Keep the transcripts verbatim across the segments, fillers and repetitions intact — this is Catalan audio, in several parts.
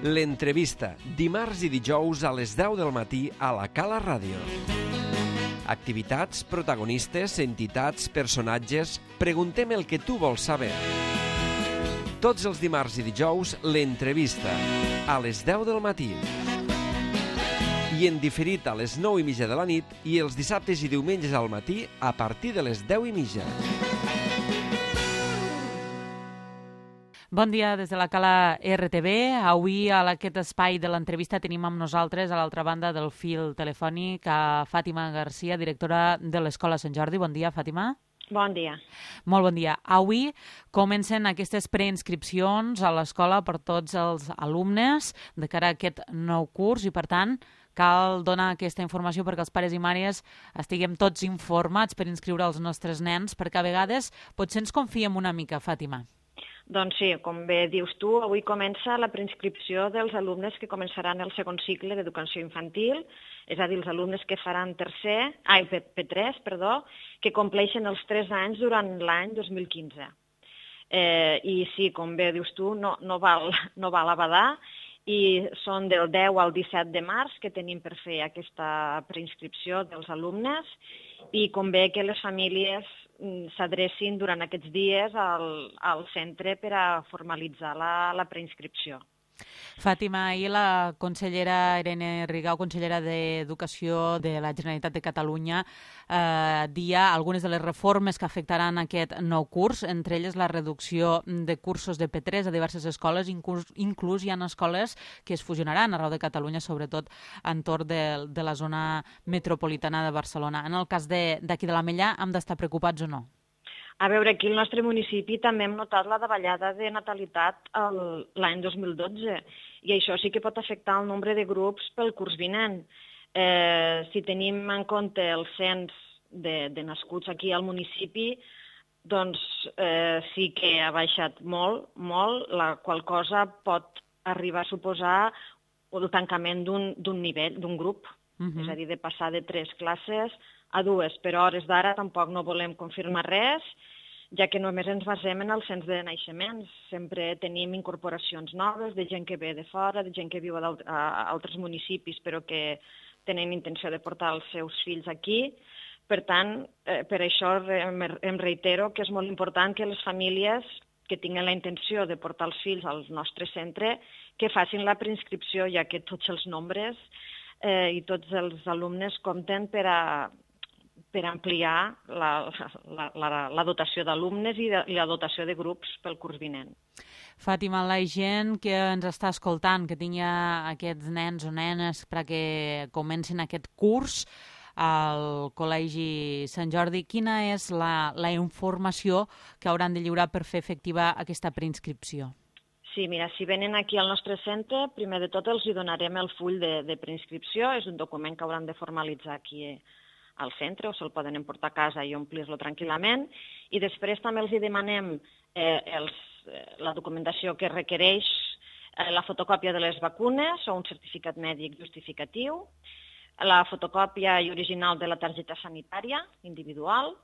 L'entrevista, dimarts i dijous a les deu del matí a la Cala Ràdio. Activitats, protagonistes, entitats, personatges... Preguntem el que tu vols saber. Tots els dimarts i dijous, l'entrevista, a les deu del matí. I en diferit a les nou i mitja de la nit i els dissabtes i diumenges al matí a partir de les deu i mitja. Bon dia des de la Cala R T B. Avui a aquest espai de l'entrevista tenim amb nosaltres a l'altra banda del fil telefònic a Fàtima Garcia, directora de l'Escola Sant Jordi. Bon dia, Fàtima. Bon dia. Molt bon dia. Avui comencen aquestes preinscripcions a l'escola per tots els alumnes de cara a aquest nou curs i, per tant, cal donar aquesta informació perquè els pares i mares estiguem tots informats per inscriure els nostres nens, perquè a vegades potser ens confiem una mica, Fàtima. Doncs sí, com bé dius tu, avui comença la preinscripció dels alumnes que començaran el segon cicle d'educació infantil, és a dir, els alumnes que faran tercer, ai, P tres, perdó, que compleixen els tres anys durant l'any dos mil quinze. Eh, I sí, com bé dius tu, no, no, val, no val a badar, i són del deu al disset de març que tenim per fer aquesta preinscripció dels alumnes i convé que les famílies s'adrecin durant aquests dies al, al centre per a formalitzar la, la preinscripció. Fàtima, ahir la consellera Irene Rigau, consellera d'Educació de la Generalitat de Catalunya, eh, dia algunes de les reformes que afectaran aquest nou curs, entre elles la reducció de cursos de P tres a diverses escoles, inclús, inclús hi ha escoles que es fusionaran arreu de Catalunya, sobretot entorn de, de la zona metropolitana de Barcelona. En el cas d'aquí de, de l'Ametllà, hem d'estar preocupats o no? A veure, aquí al nostre municipi també hem notat la davallada de natalitat l'any dos mil dotze i això sí que pot afectar el nombre de grups pel curs vinent. Eh, si tenim en compte el cens de, de nascuts aquí al municipi, doncs eh, sí que ha baixat molt, molt, la qual cosa pot arribar a suposar el tancament d'un nivell, d'un grup, uh-huh. És a dir, de passar de tres classes a dues, però a hores d'ara tampoc no volem confirmar res, ja que només ens basem en el cens de naixements. Sempre tenim incorporacions noves de gent que ve de fora, de gent que viu a altres municipis però que tenen intenció de portar els seus fills aquí. Per tant, eh, per això em reitero que és molt important que les famílies que tinguin la intenció de portar els fills al nostre centre que facin la preinscripció, ja que tots els nombres eh, i tots els alumnes compten per a per ampliar la, la, la, la dotació d'alumnes i, de, i la dotació de grups pel curs vinent. Fàtima, la gent que ens està escoltant, que tingui aquests nens o nenes perquè comencin aquest curs al Col·legi Sant Jordi, quina és la, la informació que hauran de lliurar per fer efectiva aquesta preinscripció? Sí, mira, si venen aquí al nostre centre, primer de tot els hi donarem el full de, de preinscripció, és un document que hauran de formalitzar aquí al centre o se'l poden emportar a casa i omplir-lo tranquil·lament, i després també els hi demanem eh, els, la documentació que requereix eh, la fotocòpia de les vacunes o un certificat mèdic justificatiu, la fotocòpia i original de la targeta sanitària individual,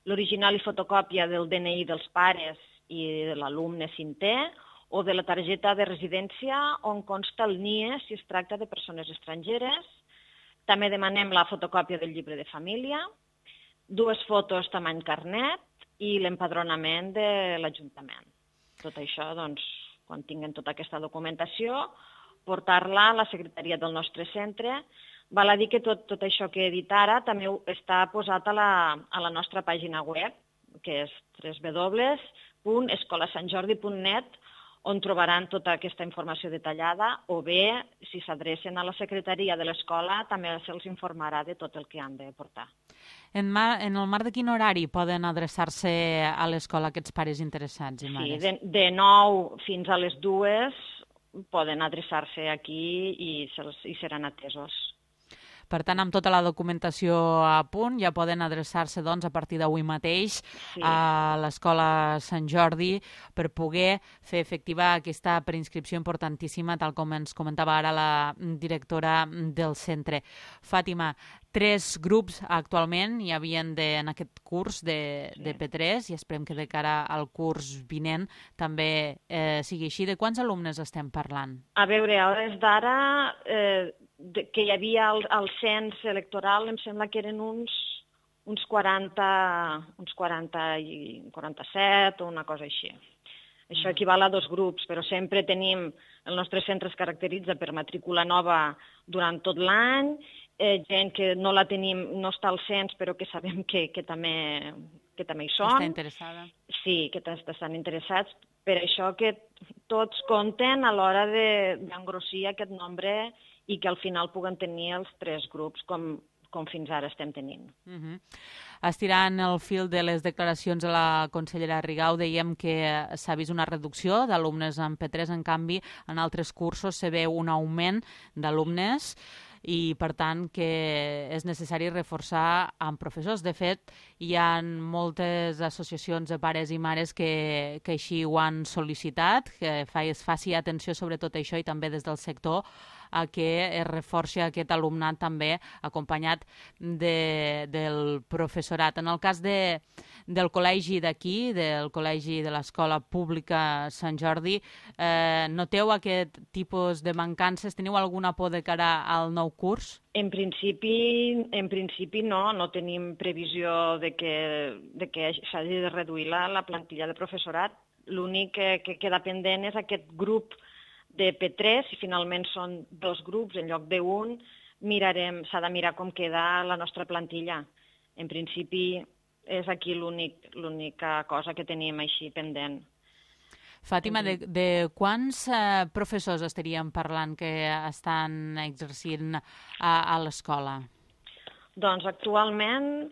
l'original i fotocòpia del D N I dels pares i de l'alumne cinquè, o de la targeta de residència on consta el N I E si es tracta de persones estrangeres. També demanem la fotocòpia del llibre de família, dues fotos tamany carnet i l'empadronament de l'Ajuntament. Tot això, doncs, quan tinguem tota aquesta documentació, portar-la a la secretaria del nostre centre. Val a dir que tot, tot això que he dit ara també està posat a la, a la nostra pàgina web, que és w w w punt escola sant jordi punt net, on trobaran tota aquesta informació detallada, o bé, si s'adrecen a la secretaria de l'escola, també se'ls informarà de tot el que han de portar. En, mar, en el marc de quin horari poden adreçar-se a l'escola aquests pares interessats i mares? Sí, de, de nou fins a les dues poden adreçar-se aquí i, i seran atesos. Per tant, amb tota la documentació a punt, ja poden adreçar-se doncs, a partir d'avui mateix sí. a l'Escola Sant Jordi per poder fer efectiva aquesta preinscripció importantíssima, tal com ens comentava ara la directora del centre. Fàtima, tres grups actualment hi havien de, en aquest curs de, Sí. de P tres i esperem que de cara al curs vinent també eh, sigui així. De quants alumnes estem parlant? A veure, a hores d'ara, eh, de, que hi havia al, al cens electoral, em sembla que eren uns, uns quaranta, uns quaranta i quaranta-set o una cosa així. Això equival a dos grups, però sempre tenim, el nostre centre es caracteritza per matrícula nova durant tot l'any, eh, gent que no la tenim, no està al cens, però que sabem que, que, també, que també hi són. Està interessada? Sí, que estan interessats. Per això que tots compten a l'hora d'engrossir aquest nombre i que al final puguen tenir els tres grups, com, com fins ara estem tenint. Uh-huh. Estirant el fil de les declaracions de la consellera Rigau, dèiem que s'ha vist una reducció d'alumnes en P tres, en canvi, en altres cursos se veu un augment d'alumnes i, per tant, que és necessari reforçar amb professors. De fet, hi ha moltes associacions de pares i mares que, que així ho han sol·licitat, que es faci atenció sobre tot això i també des del sector a que es reforci aquest alumnat també acompanyat de, del professorat. En el cas de, del col·legi d'aquí, del col·legi de l'Escola Pública Sant Jordi, eh, noteu aquest tipus de mancances? Teniu alguna por de cara al nou curs? En principi, en principi no, no tenim previsió de que, de que s'hagi de reduir la, la plantilla de professorat. L'únic que, que queda pendent és aquest grup de P tres, si finalment són dos grups en lloc d'un, mirarem, s'ha de mirar com queda la nostra plantilla. En principi és aquí l'única cosa que tenim així pendent. Fàtima, de, de quants eh, professors estaríem parlant que estan exercint a, a l'escola? Doncs actualment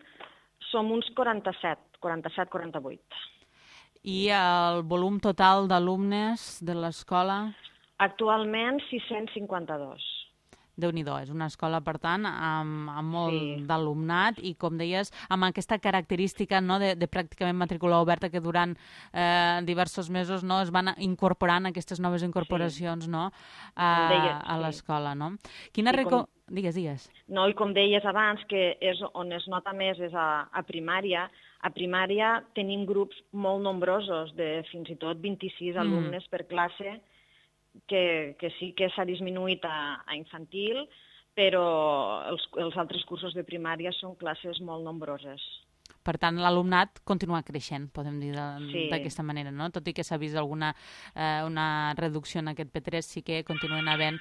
som uns quaranta-set, quaranta-set quaranta-vuit. I el volum total d'alumnes de l'escola? Actualment sis-cents cinquanta-dos. Déu-n'hi-do, és una escola, per tant, amb, amb molt Sí. d'alumnat i, com deies, amb aquesta característica, no, de, de pràcticament matrícula oberta, que durant eh, diversos mesos, no, es van incorporant aquestes noves incorporacions, sí. no, a, deies, a sí. l'escola. No? Quina I reco... com- Digues, digues. No, i com deies abans, que és on es nota més és a, a primària. A primària tenim grups molt nombrosos, de fins i tot vint-i-sis Mm. alumnes per classe, que, que sí que s'ha disminuït a, a infantil, però els, els altres cursos de primària són classes molt nombroses. Per tant, l'alumnat continua creixent, podem dir Sí. d'aquesta manera, no? Tot i que s'ha vist alguna eh, una reducció en aquest P tres, sí que continuen havent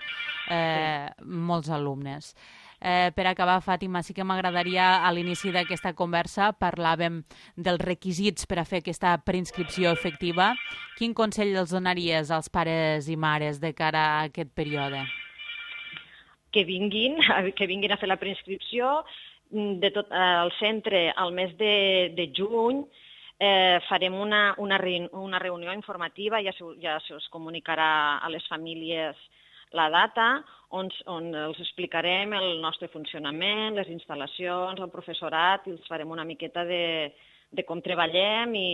eh, sí. molts alumnes. Eh, per acabar, Fàtima, sí que m'agradaria, a l'inici d'aquesta conversa, parlàvem dels requisits per a fer aquesta preinscripció efectiva. Quin consell els donaries als pares i mares de cara a aquest període? Que vinguin, que vinguin a fer la preinscripció. De tot el centre, al mes de, de juny, eh, farem una, una, reun, una reunió informativa, ja, se, ja se us comunicarà a les famílies la data, on, on els explicarem el nostre funcionament, les instal·lacions, el professorat, i els farem una miqueta de, de com treballem i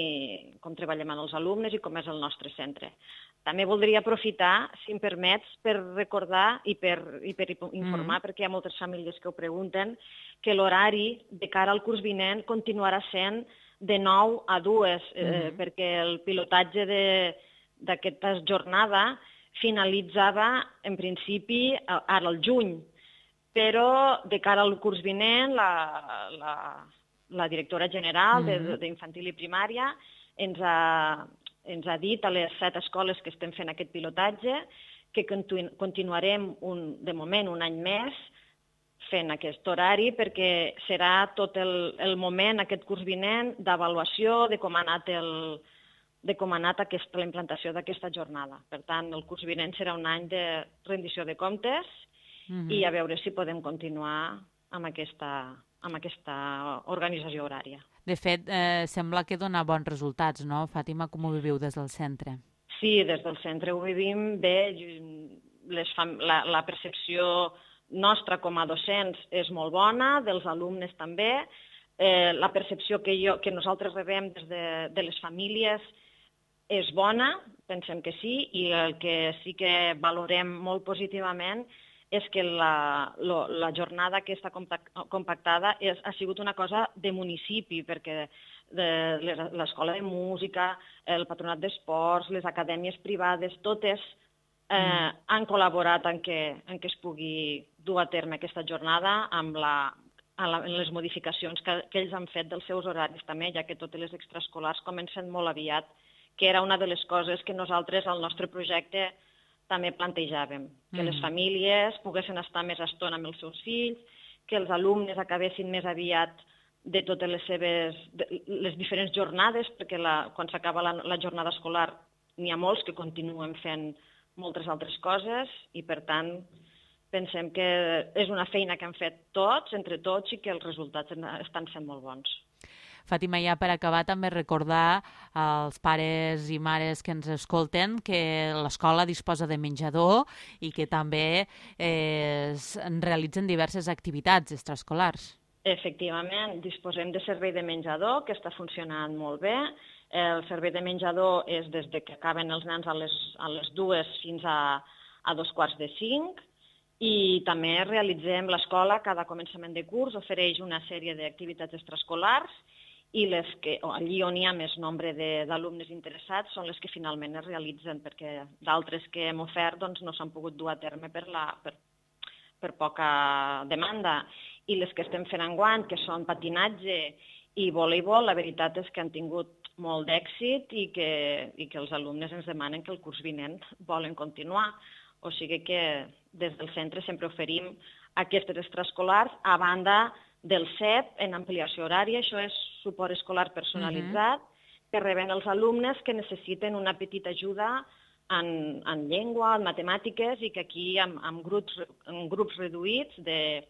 com treballem amb els alumnes i com és el nostre centre. També voldria aprofitar, si em permets, per recordar i per, i per informar, mm. perquè hi ha moltes famílies que ho pregunten, que l'horari de cara al curs vinent continuarà sent de nou a dues, eh, mm. perquè el pilotatge d'aquesta jornada finalitzava, en principi, ara al juny, però de cara al curs vinent, la, la, la directora general mm. d'Infantil i Primària ens ha, ens ha dit a les set escoles que estem fent aquest pilotatge que continu, continuarem, un, de moment, un any més fent aquest horari, perquè serà tot el, el moment, aquest curs vinent, d'avaluació de com ha anat el, de com ha anat aquesta, la implantació d'aquesta jornada. Per tant, el curs vinent serà un any de rendició de comptes mm-hmm. i a veure si podem continuar amb aquesta, amb aquesta organització horària. De fet, eh, sembla que dona bons resultats, no? Fàtima, com ho viviu des del centre? Sí, des del centre ho vivim bé. Les fam... la, la percepció nostra com a docents és molt bona, dels alumnes també. Eh, la percepció que, jo, que nosaltres rebem des de, de les famílies és bona, pensem que sí, i el que sí que valorem molt positivament és que la, lo, la jornada aquesta compactada és, ha sigut una cosa de municipi, perquè l'escola de música, el patronat d'esports, les acadèmies privades, totes eh, mm. han col·laborat en que, en que es pugui dur a terme aquesta jornada amb la, en les modificacions que, que ells han fet dels seus horaris també, ja que totes les extraescolars comencen molt aviat, que era una de les coses que nosaltres al nostre projecte també plantejàvem, que mm. les famílies poguessin estar més estona amb els seus fills, que els alumnes acabessin més aviat de totes les seves de, les diferents jornades, perquè la, quan s'acaba la, la jornada escolar n'hi ha molts que continuen fent moltes altres coses i, per tant, pensem que és una feina que han fet tots, entre tots, i que els resultats estan sent molt bons. Fàtima, ja per acabar, també recordar als pares i mares que ens escolten que l'escola disposa de menjador i que també eh, es realitzen diverses activitats extraescolars. Efectivament, disposem de servei de menjador, que està funcionant molt bé. El servei de menjador és des que acaben els nens a les, a les dues fins a, a dos quarts de cinc, i també realitzem l'escola, cada començament de curs ofereix una sèrie d'activitats extraescolars, i les que, allí on hi ha més nombre d'alumnes interessats són les que finalment es realitzen, perquè d'altres que hem ofert doncs, no s'han pogut dur a terme per, la, per, per poca demanda. I les que estem fent enguany, que són patinatge i voleibol, la veritat és que han tingut molt d'èxit i que, i que els alumnes ens demanen que el curs vinent volen continuar. O sigui que des del centre sempre oferim aquestes extraescolars a banda del C E P en ampliació horària. Això és suport escolar personalitzat, uh-huh. que reben els alumnes que necessiten una petita ajuda en, en llengua, en matemàtiques, i que aquí amb, amb, grups, amb grups reduïts de,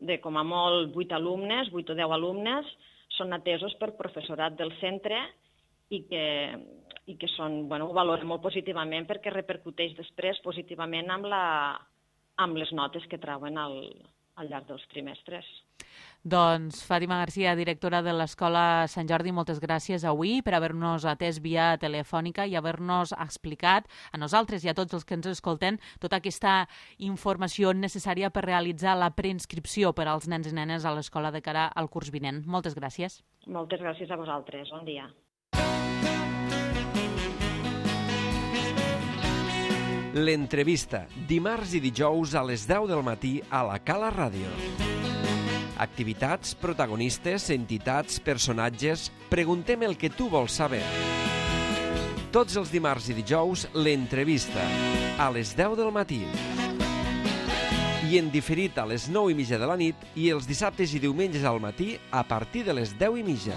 de com a molt vuit alumnes, vuit o deu alumnes, són atesos per professorat del centre i que, i que són, bueno, ho valoren molt positivament perquè repercuteix després positivament amb, la, amb les notes que trauen al, al llarg dels trimestres. Doncs Fàtima Garcia, directora de l'Escola Sant Jordi, moltes gràcies avui per haver-nos atès via telefònica i haver-nos explicat a nosaltres i a tots els que ens escolten tota aquesta informació necessària per realitzar la preinscripció per als nens i nenes a l'escola de cara al curs vinent. Moltes gràcies. Moltes gràcies a vosaltres. Bon dia. L'entrevista, dimarts i dijous a les deu del matí a la Cala Ràdio. Activitats, protagonistes, entitats, personatges... Preguntem el que tu vols saber. Tots els dimarts i dijous, l'entrevista, a les deu del matí. I en diferit a les nou i mitja de la nit i els dissabtes i diumenges al matí a partir de les deu i mitja.